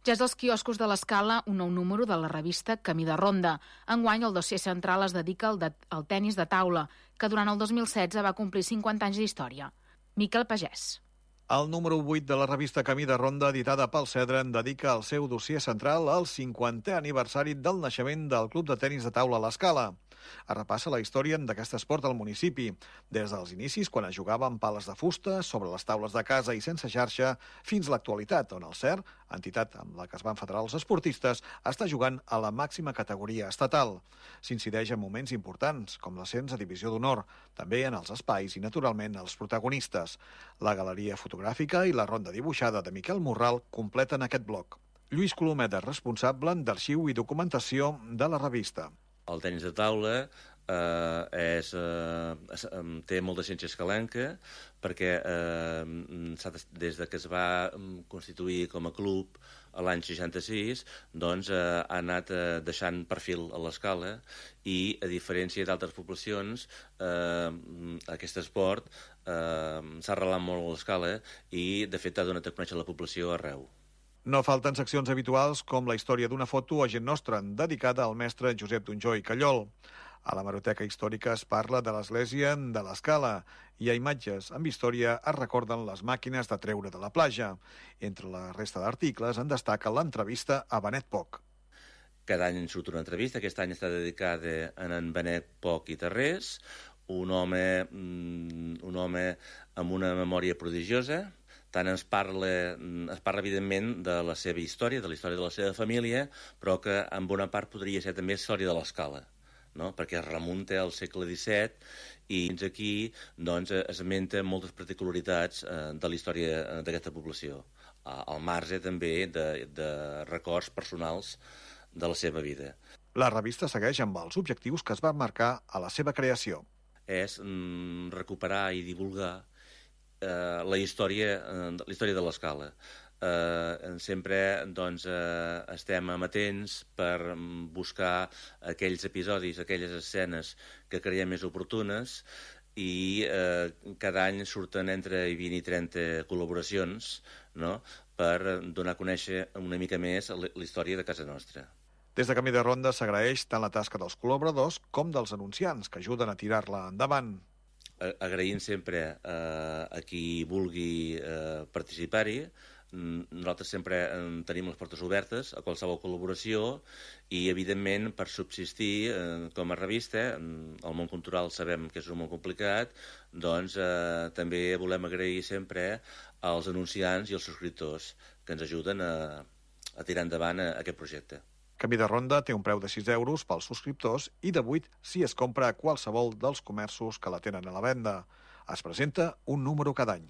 Ja és dels quioscos de l'Escala un nou número de la revista Camí de Ronda. Enguany el dossier central es dedica al tenis de taula, que durant el 2016 va complir 50 anys d'història. Miquel Pagès. El número 8 de la revista Camí de Ronda, editada pel Cedren, dedica el seu dossier central al 50è aniversari del naixement del Club de Tenis de Taula l'Escala. Es repassa la història d'aquest esport al municipi, des dels inicis, quan es jugava amb pales de fusta, sobre les taules de casa i sense xarxa, fins a l'actualitat, on el CER, entitat amb la que es van federar els esportistes, està jugant a la màxima categoria estatal. S'incideix en moments importants, com l'ascens a Divisió d'Honor, també en els espais i, naturalment, els protagonistes. La galeria fotogràfica i la ronda dibuixada de Miquel Morral completen aquest bloc. Lluís Colomet és responsable d'arxiu i documentació de la revista. El tenis de taula té molta ciència escalenca perquè des de que es va constituir com a club l'any 66 doncs, ha anat deixant perfil a l'escala i, a diferència d'altres poblacions, aquest esport s'ha arrelat molt a l'escala i, de fet, ha donat a conèixer la població arreu. No falten seccions habituals com la història d'una foto a Gent Nostra, dedicada al mestre Josep Donjó i Callol. A la Hemeroteca Històrica es parla de l'església de l'Escala i a imatges amb història es recorden les màquines de treure de la platja. Entre la resta d'articles en destaca l'entrevista a Benet Poc. Cada any surt una entrevista, aquest any està dedicada a en Benet Poc i Tarrés, un home amb una memòria prodigiosa. Tant es parla evidentment de la seva història, de la història de la seva família, però que en bona part podria ser també història de l'Escala, no? Perquè es remunta al segle XVII i fins aquí doncs, esmenta moltes particularitats de la història d'aquesta població, al marge també de records personals de la seva vida. La revista segueix amb els objectius que es van marcar a la seva creació. És recuperar i divulgar la història de l'Escala. Sempre doncs, estem amatents per buscar aquells episodis, aquelles escenes que creiem més oportunes i cada any surten entre 20 i 30 col·laboracions, no?, per donar a conèixer una mica més la història de casa nostra. Des de Camí de Ronda s'agraeix tant la tasca dels col·laboradors com dels anunciants que ajuden a tirar-la endavant. Agraïm sempre a qui vulgui participar-hi. Nosaltres sempre tenim les portes obertes a qualsevol col·laboració i, evidentment, per subsistir com a revista, el món cultural sabem que és molt complicat, doncs també volem agrair sempre als anunciants i als subscriptors que ens ajuden a tirar endavant aquest projecte. Camí de Ronda té un preu de 6 euros pels subscriptors i de 8 si es compra a qualsevol dels comerços que la tenen a la venda. Es presenta un número cada any.